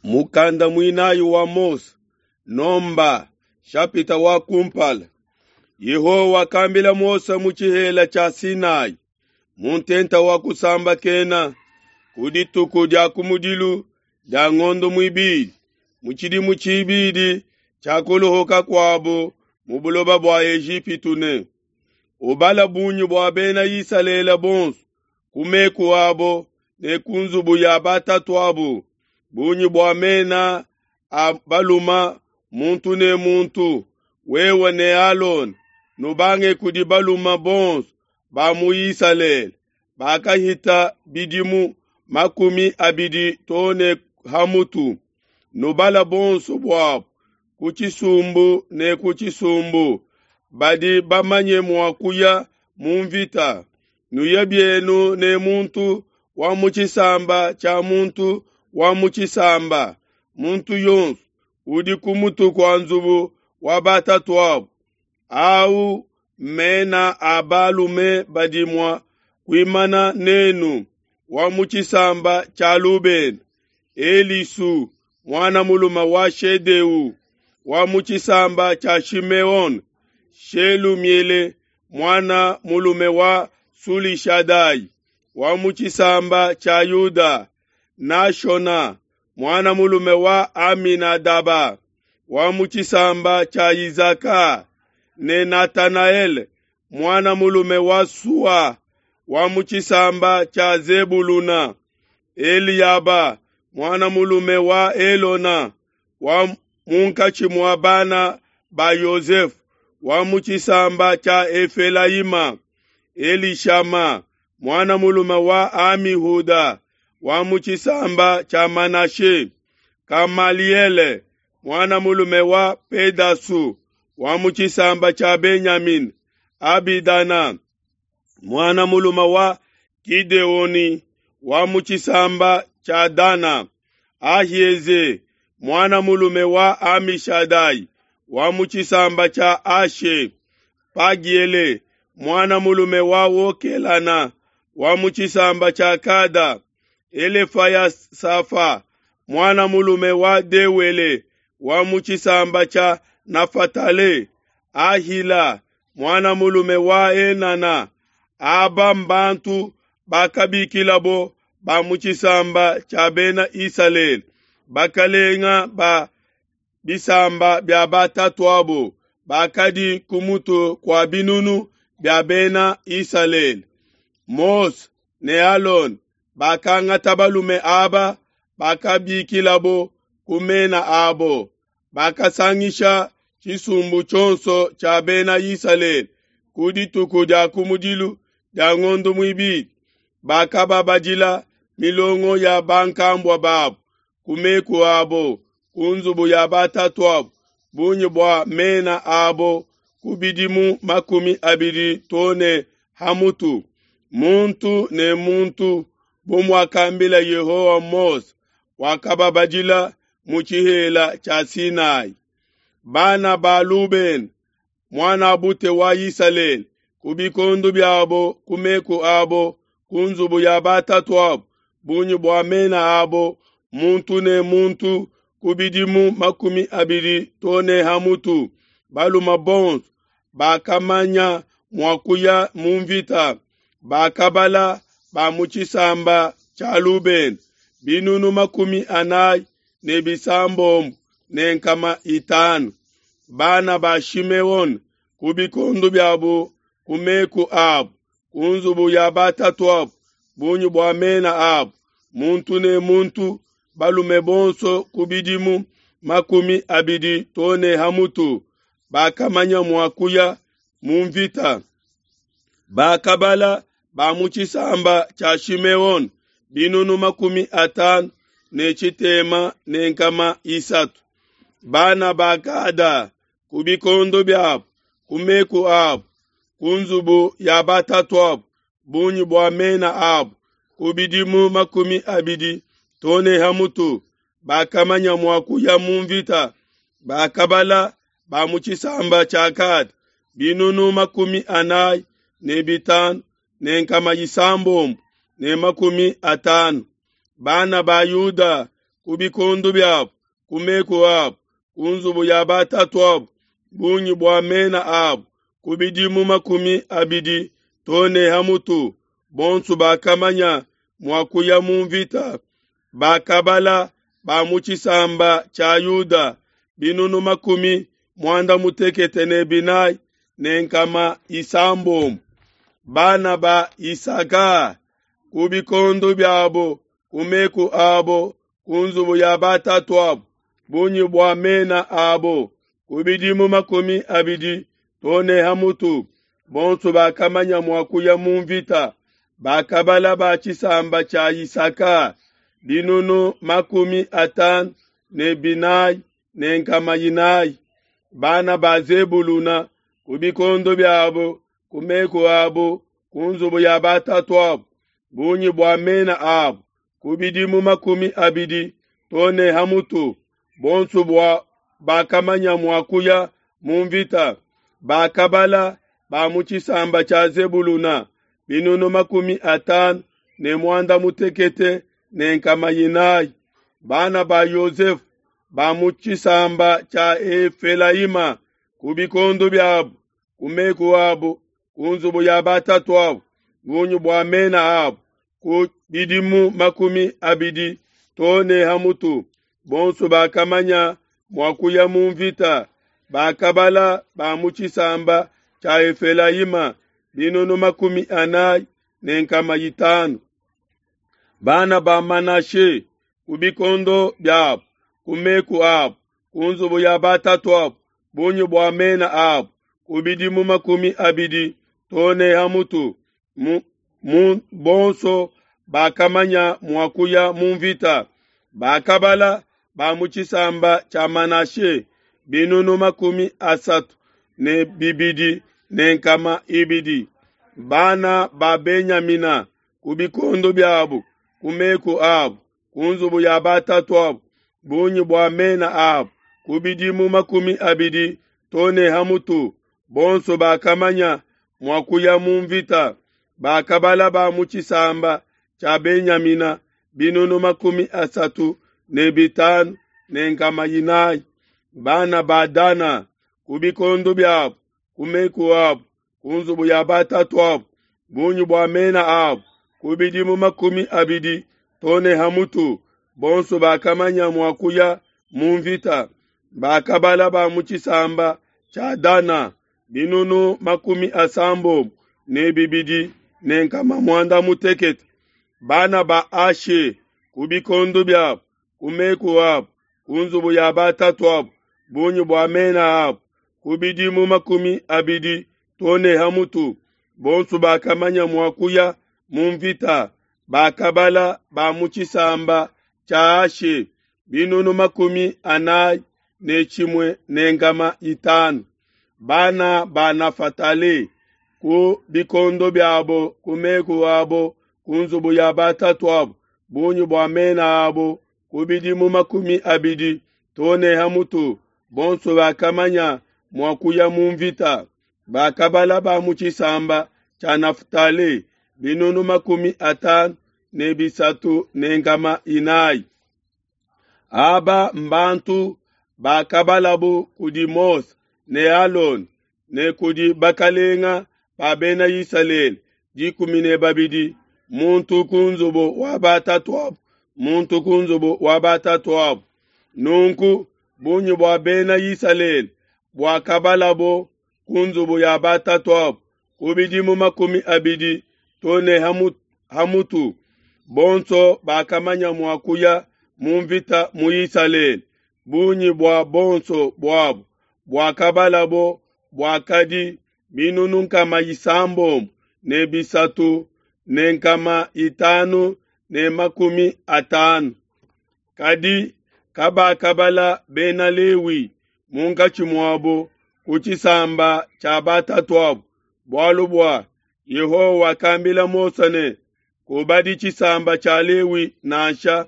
Mukanda muinayi wa Mose, Nomba, shapita wa kumpala. Yehowa wakambila Mose mu tshihela tshia Sinai, mu ntenta wa kusambakena, ku dituku dia kumudilu dia ngondo muibidi, mu tshidimu tshibidi tshia kuluhuka kuabo mu buloba bua Ejipitu ne, Ubala bungi bua bena Isalele bonso ku meku abo ne ku nzubu ya batatuabo, bungi bua mena a baluma muntu ne muntu, wewe ne Alona nubange kudi baluma bonso ba mu Isalele bakahita bidimu 20 to ne ha mutu, nubala bonso buabo ku tshisumbu ne ku tshisumbu, badi bamanye mua kuya mu mvita. Nuye bienu ne muntu wa mu tshisamba tshia muntu wa mu tshisamba, muntu yonso udi ku mutu kua nzubu wa batatuabo. Au mena a balume badi mua kuimana nenu: wa mu tshisamba tshia Lubena, Elisu muana mulume wa Shedeu; wa mu tshisamba tshia Shimeone, Shelumiele muana mulume wa Sulishadai; wa mu tshisamba tshia Yuda, Nashona muana mulume wa Aminadaba; wa mu tshisamba tshia Izaka, ne Natanaele muana mulume wa Sua; wa mu tshisamba tshia Zebuluna, Eliaba muana mulume wa Elona, wa munkatshi mua bana ba Yosefe, wa mu tshisamba tshia Efelayima, Elishama muana mulume wa Amihuda, wa mu tshisamba tshia Manashe, Kamaliele muana mulume wa Pedasu, wa mu tshisamba tshia Benyamina, Abidana muana mulume wa Gideoni, wa mu tshisamba tshia Dana, Ahieze muana mulume wa Amishadai, wa mu tshisamba tshia Ashe, Pagiele muana mulume wa Wokelana, wa mu tshisamba tshia Kada, Elefayasafa muana mulume wa Dewele, wa mu tshisamba tshia Nafatale, Ahila muana mulume wa Enana. Aba mbantu bakabikilabo ba mu tshisamba tshia bena Isalele, bakalenga ba bisamba bia batatuabo bakadi ku mutu kua binunu bia bena Isalele. Mose ne Alona bakangata balume aba bakabikilabo ku mena abo, bakasangisha tshisumbu tshionso tshia bena Isalele ku dituku dia kumudilu dia ngondo muibidi, bakababadila milongo ya bankambua babo ku meku abo, ku nzubu ya batatuabo, bungi bua mena abo ku bidimu 20 to ne ha mutu, muntu ne muntu, bu muakambila Yehowa Mose, wakababadila mu tshihela tshia Sinai. Bana ba Lubena, muanabute wa Isalele, ku bikondo biabo, ku meku abo, ku nzubu ya batatuabo, bungi bua mena abo, muntu ne muntu, ku bidimu 20 to ne ha mutu, balume bonso bakamanya mua kuya mu mvita, bakabala ba mu tshisamba tshia Lubena 465. Bana ba Shimeone ku bikondo biabo, ku meku abo, ku nzubu ya batatuabo, bungi bua mena abo, muntu ne muntu, balume bonso ku bidimu 20 to ne ha mutu, bakamanya mua kuya mu mvita. Bakabala ba mu tshisamba tshia Shimeone 53,300. Bana ba Gada ku bikondo biabo, ku meku abo, ku nzubu ya batatuabo, bungi bua mena abo, ku bidimu 20 to ne ha mutu, bakamanya mua kuya mu mvita. Bakabala ba mu tshisamba tshia Gada 45,650. Bana ba Yuda ku bikondo biabu, ku meku abu, ku nzubu ya batatuabu, bungi bua mena abu ku bidimu 20 too ne ha mutu, bonso bakamanya mua kuya mu mvita. Bakabala ba mu tshisamba tshia Yuda 94,600. Bana ba Isaka ku bikondo biabo, ku meku abo, ku nzubu ya batatuabu, bungi bua mena abo ku bidimu 20 too ne ha mutu, bonso bakamanya mua kuya mu mvita. Bakabala ba tshisamba tshia Isaka 54,400. Bana ba Zebuluna ku bikondo biabo, ku meku abo, ku nzubu ya batatuabu, bungi bua mena abo ku bidimu 20 too ne ha mutu, bonso bua bakamanya mua kuya mu mvita. Bakabala ba mu tshisamba tshia Zebuluna 56,400. Bana ba Yosefu ba mu tshisamba tshia Efelayima ku bikondo biabu, ku meku abo, ku nzubu ya batatuabu, bungi bua mena abo ku bidimu 20 too ne ha mutu, bonso bakamanya mua kuya mu mvita. Bakabala ba mu tshisamba tshia Efelayima 40,500. Bana ba Manashe ku bikondo biabu, ku meku abo, ku nzubu ya batatuabu, bungi bua mena abo ku bidimu 20 too ne ha mutu, bonso bakamanya mua kuya mu mvita. Bakabala ba mu tshisamba tshia Manashe 32,200. Bana ba Benyamina ku bikondo biabu, ku meku abo, ku nzubu ya batatuabu, bungi bua mena abo ku bidimu 20 too ne ha mutu, bonso bakamanya mua kuya mu mvita. Bakabala ba mu tshisamba tshia Benyamina 35,400. Bana ba Dana ku bikondo biabu, ku meku abo, ku nzubu ya batatuabu, bungi bua mena abo ku bidimu 20 too ne ha mutu, bonso bakamanya mua kuya mu mvita. Bakabala ba mu tshisamba tshia Dana 62,800. Bana ba Ashe ku bikondo biabu, ku meku abo, ku nzubu ya batatuabu, bungi bua mena abo ku bidimu 20 too ne ha mutu, bonso bakamanya mua kuya mu mvita. Bakabala ba mu tshisamba tshia Ashe 41,500. Bana ba Nafatale ku bikondo biabo, ku meku abo, ku nzubu ya batatuabu, bungi bua mena abo ku bidimu 20 too ne ha mutu, bonso bakamanya mua kuya mu mvita. Bakabala ba mu tshisamba tshia Naftali 53,400. Aba mbantu bakabalabu kudi Mose ne Alone ne kudi bakalenga ba bena Isalele 12, muntu ku nzubu wa batatuabu, muntu ku nzubu wa batatuabu. Nunku bungi bua bena Isalele buakabalabo ku nzubu ya batatuabu ku bidimu 20 too ne ha mutu, bonso bakamanya mua kuya mu mvita mu Isalele. Bungi bua bonso buabu buakabalabo buakadi 603,550. Kadi kabakabala bena Lewi munkatshi muabo ku tshisamba tshia batatuabu, bualu bua Yehowa wakambila Mose ne, kubadi tshisamba tshia Lewi nansha,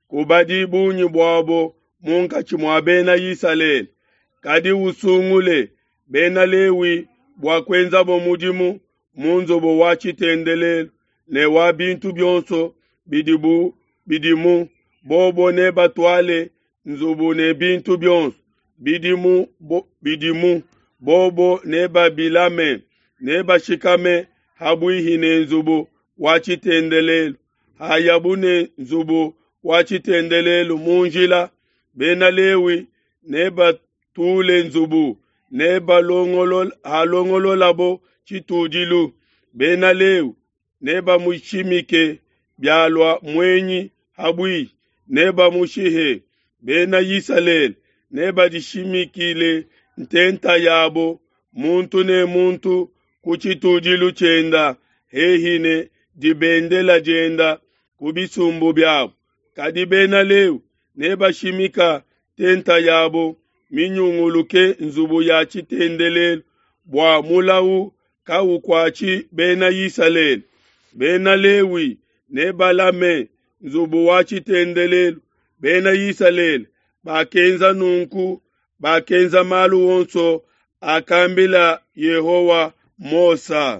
kubadi bungi buabo munkatshi mua bena Isalele, kadi usungule bena Lewi bua kuenzabo mudimu mu nzubu wa tshitendelelu ne wa bintu bionso bidimu. Bobo nebatuale nzubu ne bintu bionso bidimu, bo, bidimu bobo nebabilame, nebashikame ha buihi ne nzubu wa tshitendelelu. Hayabu ne nzubu wa tshitendelelu mu njila, Bena Lewi nebatule nzubu, nebalongololabo tshitudilu. Bena Lewi nebamushimike, bialua muenyi ha buihi, nebamushihe. Bena Isalele nebadishimikile ntenta yabo, muntu ne muntu ku tshitudilu tshienda hehi ne dibendela dienda ku bisumbu biabo. Kadi Bena Lewi nebashimika ntenta yabo minyunguluke nzubu ya tshitendelelu, bua mulawu kaukuatshi Bena Isalele. Bena Lewi nebalame nzubu wa tshitendelelu. Bena Isalele bakenza nunku, bakenza malu onso akambila Yehowa Mose.